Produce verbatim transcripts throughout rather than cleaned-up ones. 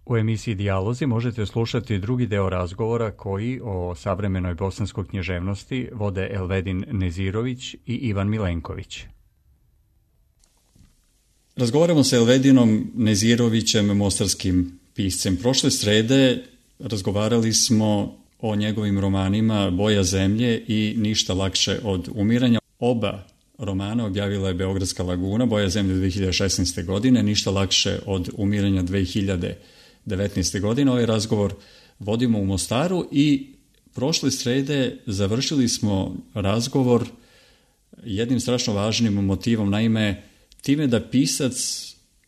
U emisiji Dijalozi možete slušati drugi deo razgovora koji o savremenoj bosanskoj književnosti vode Elvedin Nezirović i Ivan Milenković. Razgovaramo sa Elvedinom Nezirovićem, mostarskim piscem. Prošle srede razgovarali smo o njegovim romanima Boja zemlje i Ništa lakše od umiranja. Oba romana objavila je Beogradska laguna, Boja zemlje dve hiljade šesnaeste. godine, Ništa lakše od umiranja dve hiljade devetnaeste. godine. Ovaj razgovor vodimo u Mostaru i prošle srede završili smo razgovor jednim strašno važnim motivom, naime time da pisac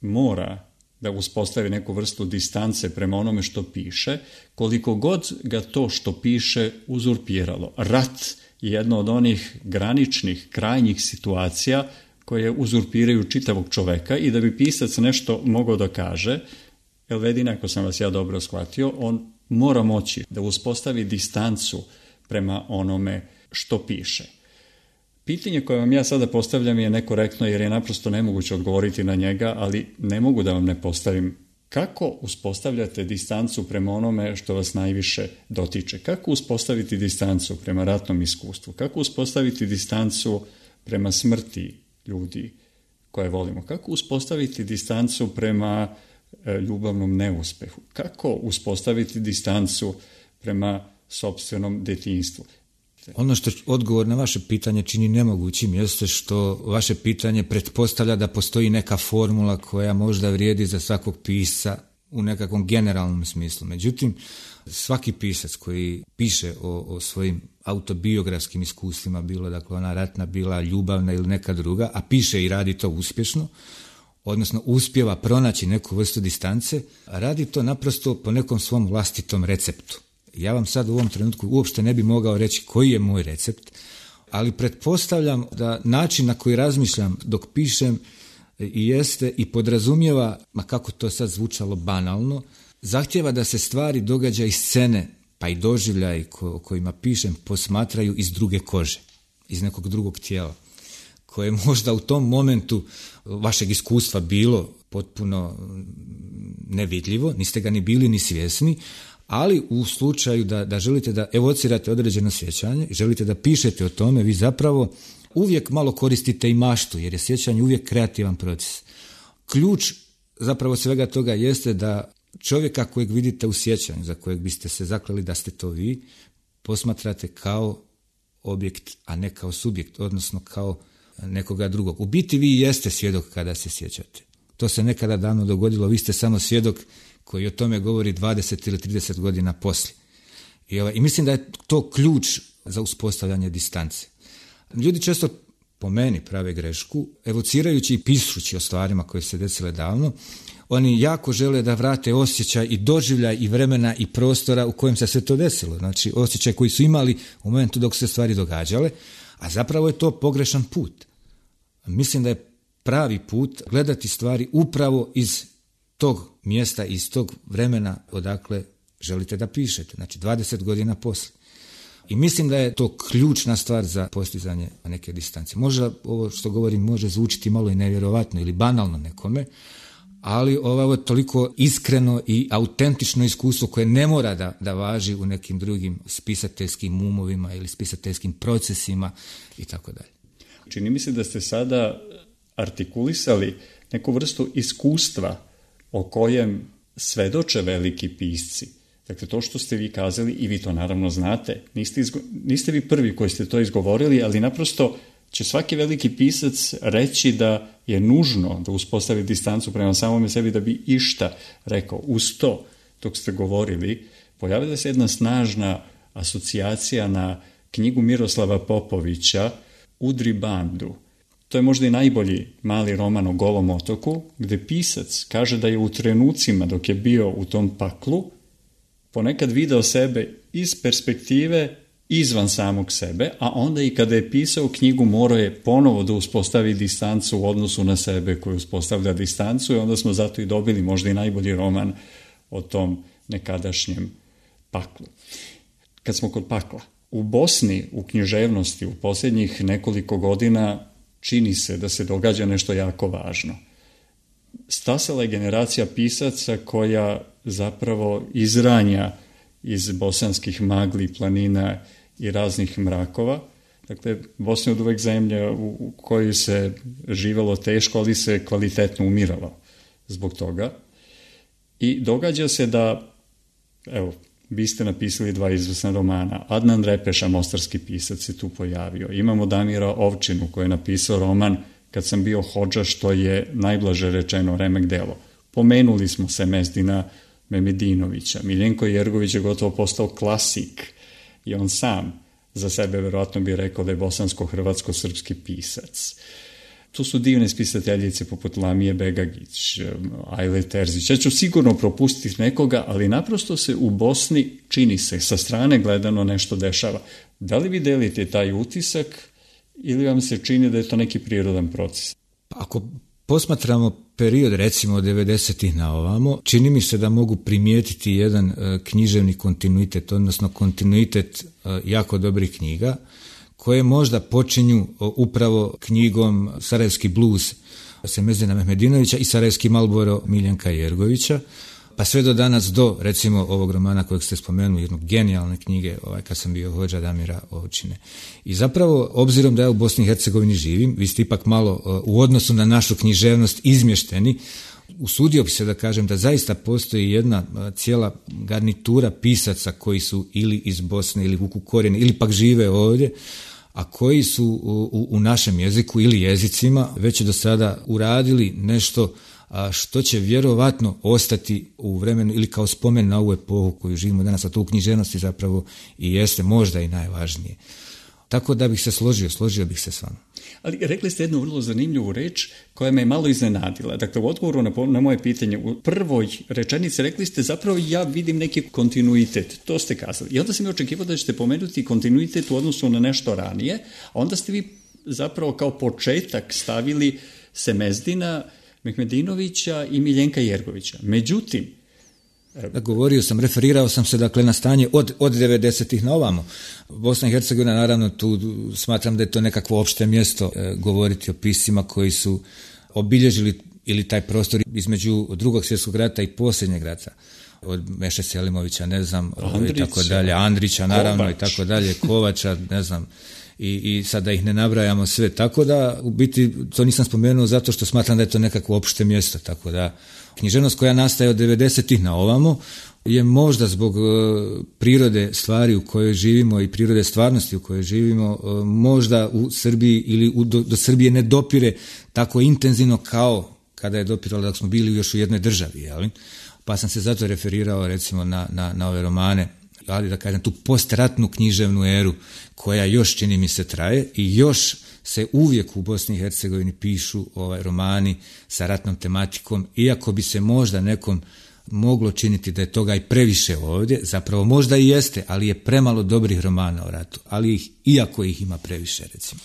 mora da uspostavi neku vrstu distance prema onome što piše, koliko god ga to što piše uzurpiralo. Rat je jedno od onih graničnih, krajnjih situacija koje uzurpiraju čitavog čoveka i da bi pisac nešto mogao da kaže, Elvedin, ako sam vas ja dobro shvatio, on mora moći da uspostavi distancu prema onome što piše. Pitanje koje vam ja sada postavljam je nekorektno jer je naprosto nemoguće odgovoriti na njega, ali ne mogu da vam ne postavim. Kako uspostavljate distancu prema onome što vas najviše dotiče? Kako uspostaviti distancu prema ratnom iskustvu? Kako uspostaviti distancu prema smrti ljudi koje volimo? Kako uspostaviti distancu prema e, ljubavnom neuspehu? Kako uspostaviti distancu prema sopstvenom detinjstvu? Ono što odgovor na vaše pitanje čini nemogućim jeste što vaše pitanje pretpostavlja da postoji neka formula koja možda vrijedi za svakog pisca u nekakvom generalnom smislu. Međutim, svaki pisac koji piše o, o svojim autobiografskim iskustvima, bilo dakle ona ratna, bila ljubavna ili neka druga, a piše i radi to uspješno, odnosno uspijeva pronaći neku vrstu distance, radi to naprosto po nekom svom vlastitom receptu. Ja vam sad u ovom trenutku uopšte ne bi mogao reći koji je moj recept, ali pretpostavljam da način na koji razmišljam dok pišem i jeste i podrazumijeva, ma kako to sad zvučalo banalno, zahtjeva da se stvari, događaji i scene, pa i doživljaji o kojima pišem posmatraju iz druge kože, iz nekog drugog tijela, koje možda u tom momentu vašeg iskustva bilo potpuno nevidljivo, niste ga ni bili ni svjesni, ali u slučaju da, da želite da evocirate određeno sjećanje, želite da pišete o tome, vi zapravo uvijek malo koristite i maštu, jer je sjećanje uvijek kreativan proces. Ključ zapravo svega toga jeste da čovjeka kojeg vidite u sjećanju, za kojeg biste se zakleli da ste to vi, posmatrate kao objekt, a ne kao subjekt, odnosno kao nekoga drugog. U biti vi jeste svjedok kada se sjećate. To se nekada davno dogodilo, vi ste samo svjedok koji o tome govori dvadeset ili trideset godina poslije. I, ovaj, I mislim da je to ključ za uspostavljanje distance. Ljudi često po meni prave grešku, evocirajući i pišući o stvarima koje se desile davno, oni jako žele da vrate osjećaj i doživljaj i vremena i prostora u kojem se sve to desilo. Znači osjećaj koji su imali u momentu dok se stvari događale, a zapravo je to pogrešan put. Mislim da je pravi put gledati stvari upravo iz tog mjesta, iz tog vremena odakle želite da pišete, znači dvadeset godina poslije. I mislim da je to ključna stvar za postizanje neke distance. Možda ovo što govorim može zvučiti malo i nevjerovatno ili banalno nekome, ali ovo je toliko iskreno i autentično iskustvo koje ne mora da, da važi u nekim drugim spisateljskim umovima ili spisateljskim procesima i tako dalje. Čini mi se da ste sada artikulisali neku vrstu iskustva o kojem svedoče veliki pisci. Dakle, to što ste vi kazali, i vi to naravno znate, niste, izgo, niste vi prvi koji ste to izgovorili, ali naprosto će svaki veliki pisac reći da je nužno da uspostavi distancu prema samome sebi da bi išta rekao. Uz to, dok ste govorili, pojavila se jedna snažna asocijacija na knjigu Miroslava Popovića Udri bandu. To je možda i najbolji mali roman o Golom otoku, gde pisac kaže da je u trenucima dok je bio u tom paklu ponekad video sebe iz perspektive izvan samog sebe, a onda i kada je pisao knjigu morao je ponovo da uspostavi distancu u odnosu na sebe koji uspostavlja distancu i onda smo zato i dobili možda i najbolji roman o tom nekadašnjem paklu. Kad smo kod pakla, u Bosni, u književnosti, u posljednjih nekoliko godina čini se da se događa nešto jako važno. Stasala je generacija pisaca koja zapravo izranja iz bosanskih magli, planina i raznih mrakova. Dakle, Bosna je od uvek zemlja u kojoj se živelo teško, ali se kvalitetno umiralo zbog toga. I događa se da, evo, vi ste napisali dva izvrsna romana. Adnan Repeša, mostarski pisac, se tu pojavio. Imamo Damira Ovčinu koji je napisao roman Kad sam bio hodža, što je najblaže rečeno remek delo. Pomenuli smo se Mezdina Memedinovića. Miljenko Jergović je gotovo postao klasik i on sam za sebe verovatno bi rekao da je bosansko-hrvatsko-srpski pisac. Tu su divne spisateljice poput Lamije Begagić, Ajle Terzić. Ja ću sigurno propustiti nekoga, ali naprosto se u Bosni čini se sa strane gledano nešto dešava. Da li vi delite taj utisak ili vam se čini da je to neki prirodan proces? Ako posmatramo period recimo od devedesetih na ovamo, čini mi se da mogu primijetiti jedan uh, književni kontinuitet, odnosno kontinuitet uh, jako dobrih knjiga, koje možda počinju uh, upravo knjigom Sarajevski blues Mezdina Mehmedinovića i Sarajevski Marlboro Miljenka Jergovića, pa sve do danas do recimo ovog romana kojeg ste spomenuli, jednog genijalne knjige, ovaj, Kad sam bio hodža, Damira Ovčine. I zapravo, obzirom da ja u Bosni i Hercegovini živim, vi ste ipak malo uh, u odnosu na našu književnost izmješteni, usudio bi se da kažem da zaista postoji jedna uh, cijela garnitura pisaca koji su ili iz Bosne ili vuku korijene ili pak žive ovdje, a koji su u, u, u našem jeziku ili jezicima već do sada uradili nešto a što će vjerovatno ostati u vremenu ili kao spomen na ovu epohu koju živimo danas, a to u književnosti zapravo i jeste možda i najvažnije. Tako da bih se složio, složio bih se s vama. Ali rekli ste jednu vrlo zanimljivu reč koja me malo iznenadila. Dakle, u odgovoru na, na moje pitanje, u prvoj rečenici rekli ste zapravo ja vidim neki kontinuitet. To ste kazali. I onda sam mi očekivao da ćete pomenuti kontinuitet u odnosu na nešto ranije, a onda ste vi zapravo kao početak stavili se Mezdina Mehmedinovića i Miljenka Jergovića. Međutim, Da, govorio sam, referirao sam se dakle na stanje od, od devedesetih na ovamo. Bosna i Hercegovina, naravno, tu smatram da je to nekakvo opšte mjesto e, govoriti o piscima koji su obilježili ili taj prostor između drugog svjetskog rata i posljednjeg rata. Od Meše Selimovića, ne znam, Andrić, i tako dalje, Andrića, naravno, Kovač. i tako dalje, Kovača, ne znam, i, i sad da ih ne nabrajamo sve. Tako da, u biti, to nisam spomenuo zato što smatram da je to nekakvo opšte mjesto, tako da književnost koja nastaje od devedesetih na ovamo je možda zbog e, prirode stvari u kojoj živimo i prirode stvarnosti u kojoj živimo, e, možda u Srbiji ili u, do, do Srbije ne dopire tako intenzivno kao kada je dopiralo da smo bili još u jednoj državi, jel? Pa sam se zato referirao recimo na, na, na ove romane, ali da kažem tu postratnu književnu eru koja još čini mi se traje i još se uvijek u Bosni i Hercegovini pišu ovaj romani sa ratnom tematikom, iako bi se možda nekom moglo činiti da je toga i previše ovdje, zapravo možda i jeste, ali je premalo dobrih romana o ratu, ali ih, iako ih ima previše, recimo.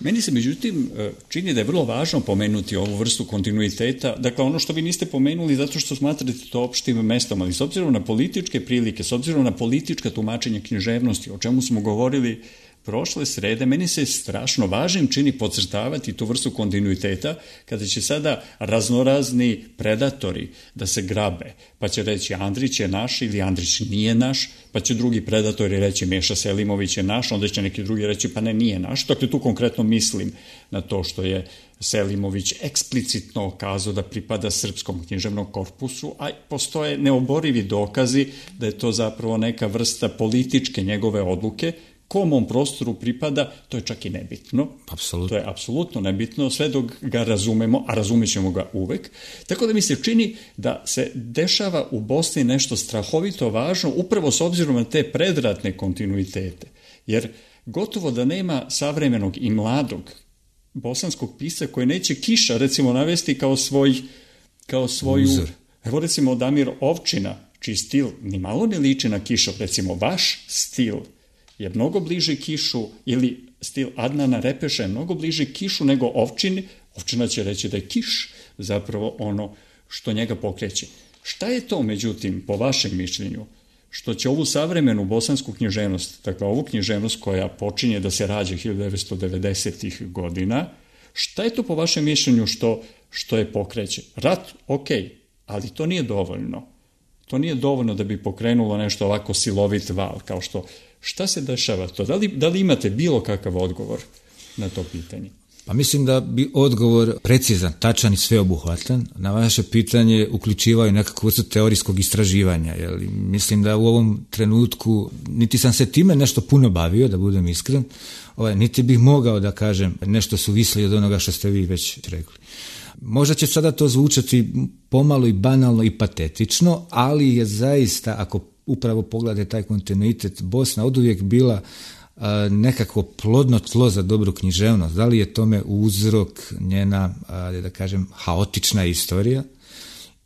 Meni se međutim čini da je vrlo važno pomenuti ovu vrstu kontinuiteta, dakle ono što vi niste pomenuli zato što smatrate to opštim mestom, ali s obzirom na političke prilike, s obzirom na politička tumačenja književnosti, o čemu smo govorili prošle srede, meni se strašno važnim čini podcrtavati tu vrstu kontinuiteta kada će sada raznorazni predatori da se grabe, pa će reći Andrić je naš ili Andrić nije naš, pa će drugi predatori reći Meša Selimović je naš, onda će neki drugi reći pa ne, nije naš. Dakle, tu konkretno mislim na to što je Selimović eksplicitno kazao da pripada srpskom književnom korpusu, a postoje neoborivi dokazi da je to zapravo neka vrsta političke njegove odluke. Kom on prostoru pripada, to je čak i nebitno. Apsolutno. To je apsolutno nebitno, sve dok ga razumemo, a razumit ćemo ga uvek. Tako da mi se čini da se dešava u Bosni nešto strahovito važno, upravo s obzirom na te predratne kontinuitete. Jer gotovo da nema savremenog i mladog bosanskog pisca koji neće Kiša, recimo, navesti kao svoj, kao svoju... Uzor. Evo, recimo, Damir Ovčina, čiji stil ni malo ne liči na Kišov, recimo, vaš stil je mnogo bliži Kišu, ili stil Adnana Repeša je mnogo bliži Kišu nego Ovčini. Ovčina će reći da je Kiš zapravo ono što njega pokreće. Šta je to, međutim, po vašem mišljenju, što će ovu savremenu bosansku književnost, dakle ovu književnost koja počinje da se rađa hiljadu devetsto devedesetih godina, šta je to po vašem mišljenju što, što je pokreće? Rat, ok, ali to nije dovoljno. To nije dovoljno da bi pokrenulo nešto ovako silovit val, kao što, šta se dešava to? Da li, da li imate bilo kakav odgovor na to pitanje? Pa mislim da bi odgovor precizan, tačan i sveobuhvatan na vaše pitanje uključivaju nekakvu vrstu teorijskog istraživanja. Jer mislim da u ovom trenutku niti sam se time nešto puno bavio, da budem iskren, ovaj, niti bih mogao da kažem nešto suvislije od onoga što ste vi već rekli. Možda će sada to zvučati pomalo i banalno i patetično, ali je zaista, ako upravo pogledate taj kontinuitet, Bosna oduvijek bila a, nekako plodno tlo za dobru književnost. Da li je tome uzrok njena, a, da kažem, haotična istorija,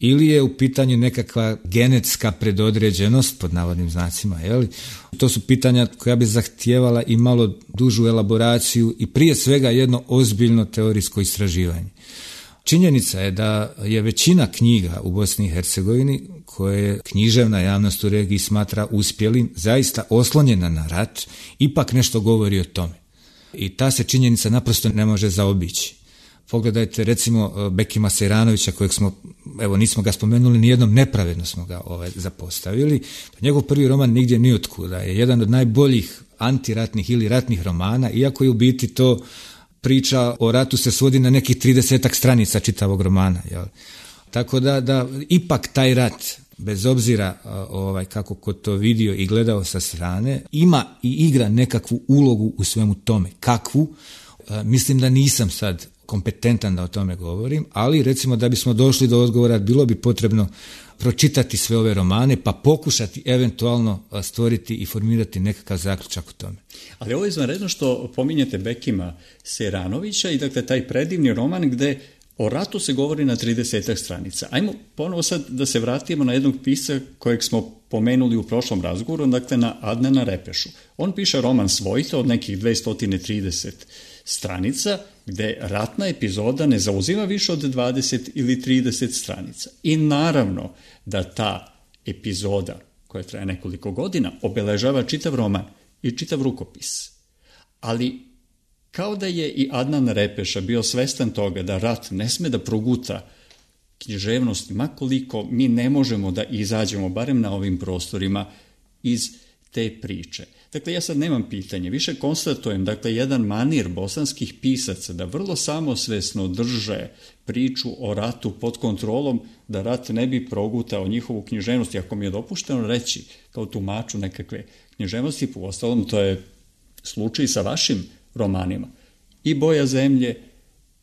ili je u pitanju nekakva genetska predodređenost, pod navodnim znacima, je li? To su pitanja koja bi zahtijevala i malo dužu elaboraciju i prije svega jedno ozbiljno teorijsko istraživanje. Činjenica je da je većina knjiga u Bosni i Hercegovini koje književna javnost u regiji smatra uspjelim, zaista oslonjena na rat, ipak nešto govori o tome. I ta se činjenica naprosto ne može zaobići. Pogledajte recimo Bekima Sejranovića, kojeg smo, evo nismo ga spomenuli, nijednom nepravedno smo ga ovaj, zapostavili. Njegov prvi roman Nigdje ni otkuda je jedan od najboljih antiratnih ili ratnih romana, iako je u biti to priča o ratu se svodi na nekih tridesetak stranica čitavog romana. Jel? Tako da, da ipak taj rat, bez obzira ovaj, kako ko to vidio i gledao sa strane, ima i igra nekakvu ulogu u svemu tome. Kakvu? E, mislim da nisam sad kompetentan da o tome govorim, ali recimo da bismo došli do odgovora bilo bi potrebno pročitati sve ove romane pa pokušati eventualno stvoriti i formirati nekakav zaključak o tome. Ali ovo je izvanredno što pominjete Bekima Sejranovića i dakle taj predivni roman gde o ratu se govori na tridesetak stranica. Ajmo ponovo sad da se vratimo na jednog pisca kojeg smo pomenuli u prošlom razgovoru, dakle na Adnana Repešu. On piše roman Svojta od nekih dvesta trideset stranica, gde ratna epizoda ne zauzima više od dvadeset ili trideset stranica. I naravno da ta epizoda, koja traje nekoliko godina, obeležava čitav roman i čitav rukopis. Ali kao da je i Adnan Repeša bio svestan toga da rat ne sme da proguta književnost, makoliko mi ne možemo da izađemo, barem na ovim prostorima, iz te priče. Dakle, ja sad nemam pitanje, više konstatujem, dakle, jedan manir bosanskih pisaca da vrlo samosvesno drže priču o ratu pod kontrolom, da rat ne bi progutao njihovu književnost, ako mi je dopušteno reći, kao tumaču nekakve književnosti, po ostalom to je slučaj sa vašim romanima. I Boja zemlje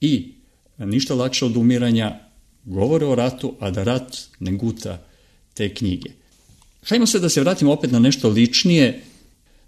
i Ništa lakše od umiranja govore o ratu, a da rat ne guta te knjige. Hajmo se da se vratimo opet na nešto ličnije.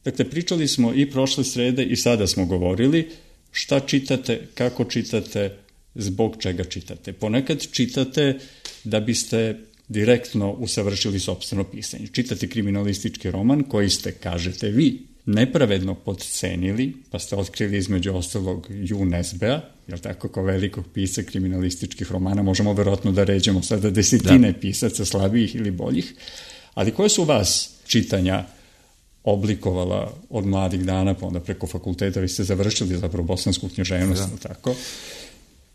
Dakle, pričali smo i prošle srede i sada smo govorili šta čitate, kako čitate, zbog čega čitate. Ponekad čitate da biste direktno usavršili sopstveno pisanje. Čitate kriminalistički roman koji ste, kažete vi, nepravedno podcenili, pa ste otkrili između ostalog Ju Nesbea, jel tako, kao velikog pisca kriminalističkih romana, možemo verovatno da ređemo sada desetine da. pisaca slabijih ili boljih, ali koje su vas čitanja oblikovala od mladih dana, pa onda preko fakulteta, vi ste završili zapravo bosansku književnost, da. tako?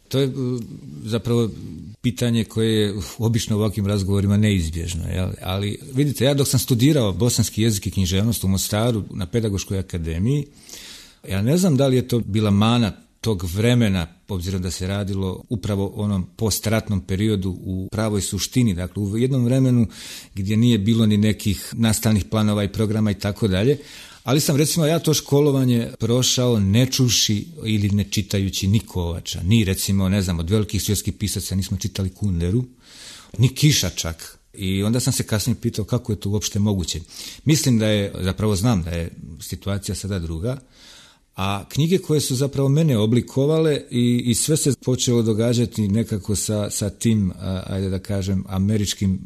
To je zapravo pitanje koje je obično u ovakvim razgovorima neizbježno. Jel? Ali vidite, ja dok sam studirao bosanski jezik i književnost u Mostaru na Pedagoškoj akademiji, ja ne znam da li je to bila mana tog vremena, obzirom da se radilo upravo o onom postratnom periodu u pravoj suštini, dakle u jednom vremenu gdje nije bilo ni nekih nastavnih planova i programa i tako dalje, ali sam recimo ja to školovanje prošao ne čuši ili ne čitajući ni Kovača, ni recimo ne znam od velikih svjetskih pisaca nismo čitali Kunderu, ni Kiša čak. I onda sam se kasnije pitao kako je to uopšte moguće. Mislim da je, zapravo znam da je situacija sada druga, a knjige koje su zapravo mene oblikovale i, i sve se počelo događati nekako sa, sa tim, a, ajde da kažem, američkim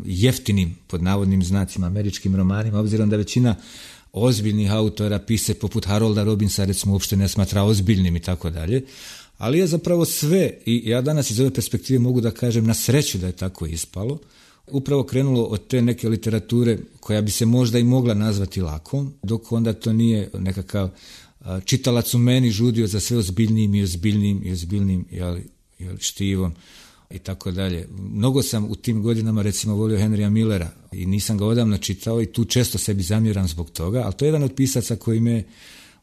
jeftinim, pod navodnim znacima, američkim romanima, obzirom da većina ozbiljnih autora, pise poput Harolda Robinsa, recimo, uopšte ne smatra ozbiljnim i tako dalje, ali je zapravo sve, i ja danas iz ove perspektive mogu da kažem na sreću da je tako ispalo, upravo krenulo od te neke literature koja bi se možda i mogla nazvati lakom, dok onda to nije nekakav čitalac u meni žudio za sve ozbiljnijim i ozbiljnijim i ozbiljnijim jel, jel, štivom. i tako dalje. Mnogo sam u tim godinama recimo volio Henrya Millera i nisam ga odavno čitao i tu često sebi zamjeram zbog toga, ali to je jedan od pisaca koji me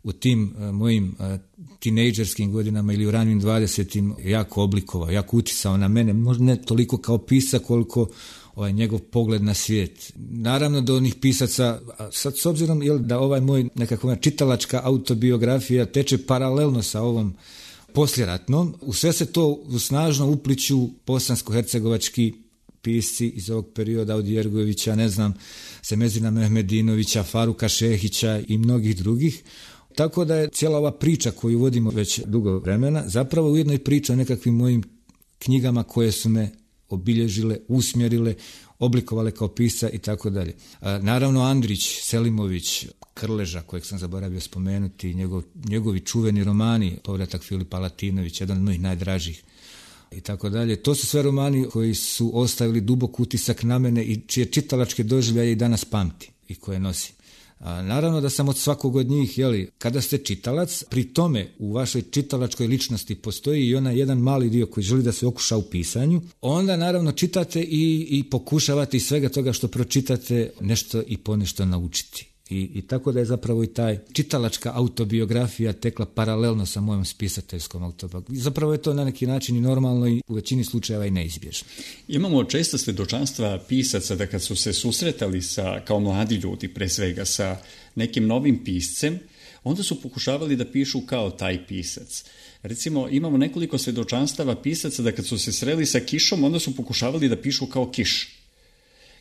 u tim uh, mojim uh, tinejdžerskim godinama ili u ranim dvadesetim jako oblikovao, jako uticao na mene, možda ne toliko kao pisac koliko ovaj njegov pogled na svijet. Naravno do onih pisaca, sad s obzirom jel, da ovaj moj nekakva čitalačka autobiografija teče paralelno sa ovom posljeratnom, u sve se to snažno upliću bosansko-hercegovački pisci iz ovog perioda od Jergovića, ne znam, Semezina Mehmedinovića, Faruka Šehića i mnogih drugih. Tako da je cijela ova priča koju vodimo već dugo vremena zapravo ujedno i priča o nekakvim mojim knjigama koje su me obilježile, usmjerile, oblikovale kao pisca i tako dalje. Naravno Andrić, Selimović, Krleža, kojeg sam zaboravio spomenuti, njegov, njegovi čuveni romani, Povratak Filipa Latinović, jedan od mojih najdražih i tako dalje. To su sve romani koji su ostavili dubok utisak na mene i čije čitalačke doživljaje i danas pamti i koje nosim. A naravno da sam od svakog od njih, jeli, kada ste čitalac, pri tome u vašoj čitalačkoj ličnosti postoji i onaj jedan mali dio koji želi da se okuša u pisanju, onda naravno čitate i, i pokušavate iz svega toga što pročitate nešto i ponešto naučiti. I, I tako da je zapravo i taj čitalačka autobiografija tekla paralelno sa mojom spisateljskom autobiografijom. Zapravo je to na neki način i normalno i u većini slučajeva i neizbježno. Imamo često svjedočanstva pisaca da kad su se susretali sa, kao mladi ljudi pre svega sa nekim novim piscem, onda su pokušavali da pišu kao taj pisac. Recimo, imamo nekoliko svjedočanstava pisaca da kad su se sreli sa Kišom, onda su pokušavali da pišu kao Kiš.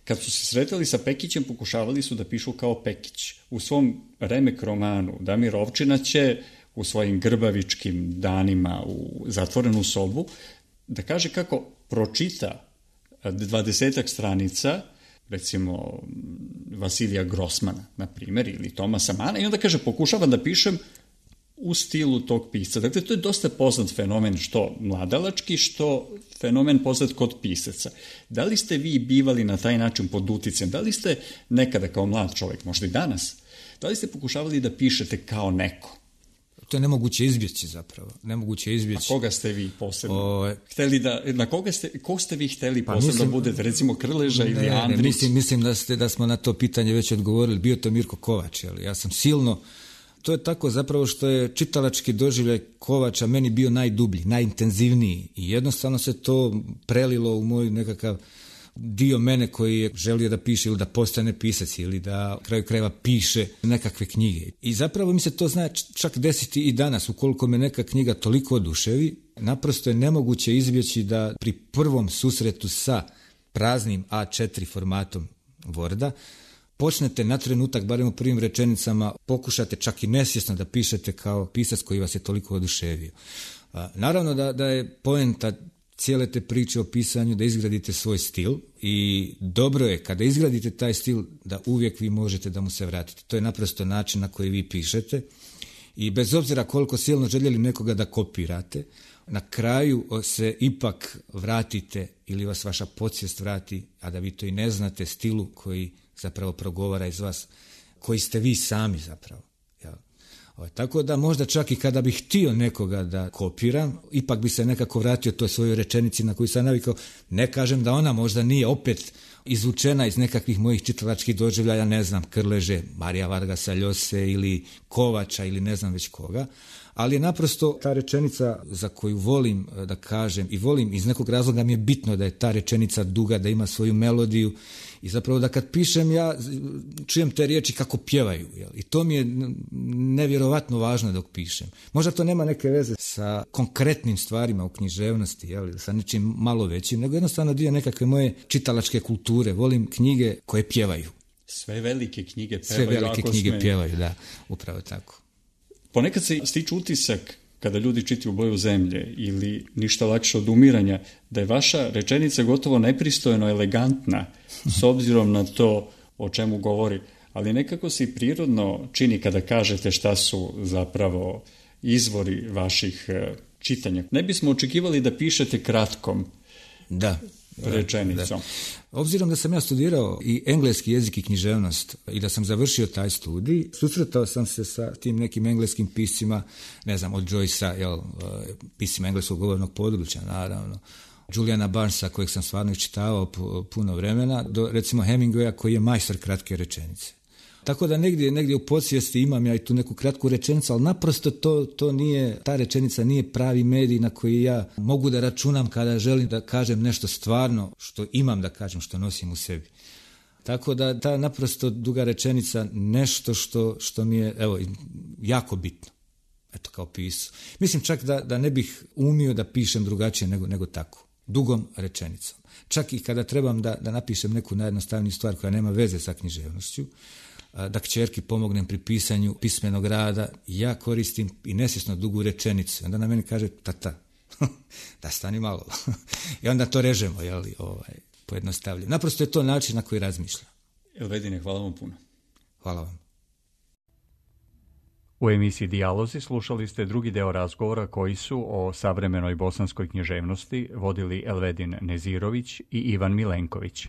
Kad su se sretali sa Pekićem, pokušavali su da pišu kao Pekić. U svom remek romanu Damir Ovčina će u svojim grbavičkim danima u zatvorenu sobu da kaže kako pročita dvadesetak stranica, recimo Vasilija Grossmana, na primjer, ili Tomasa Mana, i onda kaže pokušavam da pišem u stilu tog pisca. Dakle, to je dosta poznat fenomen, što mladalački, što fenomen poznat kod pisaca. Da li ste vi bivali na taj način pod uticajem? Da li ste nekada kao mlad čovjek, možda i danas, da li ste pokušavali da pišete kao neko? To je nemoguće izbjeći zapravo. Nemoguće izbjeći. A koga ste vi posebno? O... Hteli da, na koga ste, ko ste vi hteli pa posebno mislim, da budete? Recimo Krleža ili Andrić? Ne, mislim, mislim da, ste, da smo na to pitanje već odgovorili. Bio to Mirko Kovač. Ali ja sam silno... To je tako zapravo što je čitalački doživljaj Kovača meni bio najdublji, najintenzivniji i jednostavno se to prelilo u moj nekakav dio mene koji je želio da piše ili da postane pisac ili da kraju krajeva piše nekakve knjige. I zapravo mi se to zna čak desiti i danas, ukoliko me neka knjiga toliko oduševi, naprosto je nemoguće izbjeći da pri prvom susretu sa praznim A četiri formatom Worda počnete na trenutak, barem u prvim rečenicama, pokušate čak i nesvjesno da pišete kao pisac koji vas je toliko oduševio. A, naravno da, da je poenta cijele te priče o pisanju da izgradite svoj stil i dobro je kada izgradite taj stil da uvijek vi možete da mu se vratite. To je naprosto način na koji vi pišete i bez obzira koliko silno željeli nekoga da kopirate, na kraju se ipak vratite ili vas vaša podsvijest vrati, a da vi to i ne znate, stilu koji zapravo progovara iz vas, koji ste vi sami zapravo. Ja. O, tako da možda čak i kada bih htio nekoga da kopiram, ipak bi se nekako vratio toj svojoj rečenici na koju sam navikao. Ne kažem da ona možda nije opet izvučena iz nekakvih mojih čitalačkih doživljaja, ne znam, Krleže, Marija Vargasa Ljose ili Kovača ili ne znam već koga, ali je naprosto ta rečenica za koju volim da kažem i volim iz nekog razloga mi je bitno da je ta rečenica duga, da ima svoju melodiju i zapravo da kad pišem ja čujem te riječi kako pjevaju. Jel? I to mi je nevjerovatno važno dok pišem. Možda to nema neke veze sa konkretnim stvarima u književnosti, jel? Sa nečim malo većim, nego jednostavno dio nekakve moje čitalačke kulture. Volim knjige koje pjevaju. Sve velike knjige pjevaju. Sve velike knjige sme... pjevaju, da, upravo tako. Ponekad se stiče utisak kada ljudi čitaju Boju zemlje ili Ništa lakše od umiranja, da je vaša rečenica gotovo nepristojno elegantna s obzirom na to o čemu govori, ali nekako se i prirodno čini kada kažete šta su zapravo izvori vaših čitanja. Ne bismo očekivali da pišete kratkom da, rečenicom. Da. Obzirom da sam ja studirao i engleski jezik i književnost i da sam završio taj studij, susretao sam se sa tim nekim engleskim piscima, ne znam, od Joycea, jel, piscima engleskog govornog područja, naravno, Juliana Barnesa, kojeg sam stvarno iščitavao puno vremena, do recimo Hemingwaya koji je majstor kratke rečenice. Tako da negdje, negdje u podsvijesti imam ja i tu neku kratku rečenicu, ali naprosto to, to nije, ta rečenica nije pravi medij na koji ja mogu da računam kada želim da kažem nešto stvarno što imam da kažem, što nosim u sebi. Tako da ta naprosto duga rečenica nešto što, što mi je evo, jako bitno. Eto, kao pisao. Mislim čak da, da ne bih umio da pišem drugačije nego, nego tako. Dugom rečenicom. Čak i kada trebam da, da napišem neku najjednostavniju stvar koja nema veze sa književnošću, da kćerki pomognem pri pisanju pismenog rada, ja koristim i nesvjesno dugu rečenicu. Onda na meni kaže, tata, da stani malo. I onda to režemo, jeli, ovaj, pojednostavljamo. Naprosto je to način na koji razmišljam. Elvedine, hvala vam puno. Hvala vam. U emisiji Dijalozi slušali ste drugi deo razgovora koji su o savremenoj bosanskoj književnosti vodili Elvedin Nezirović i Ivan Milenković.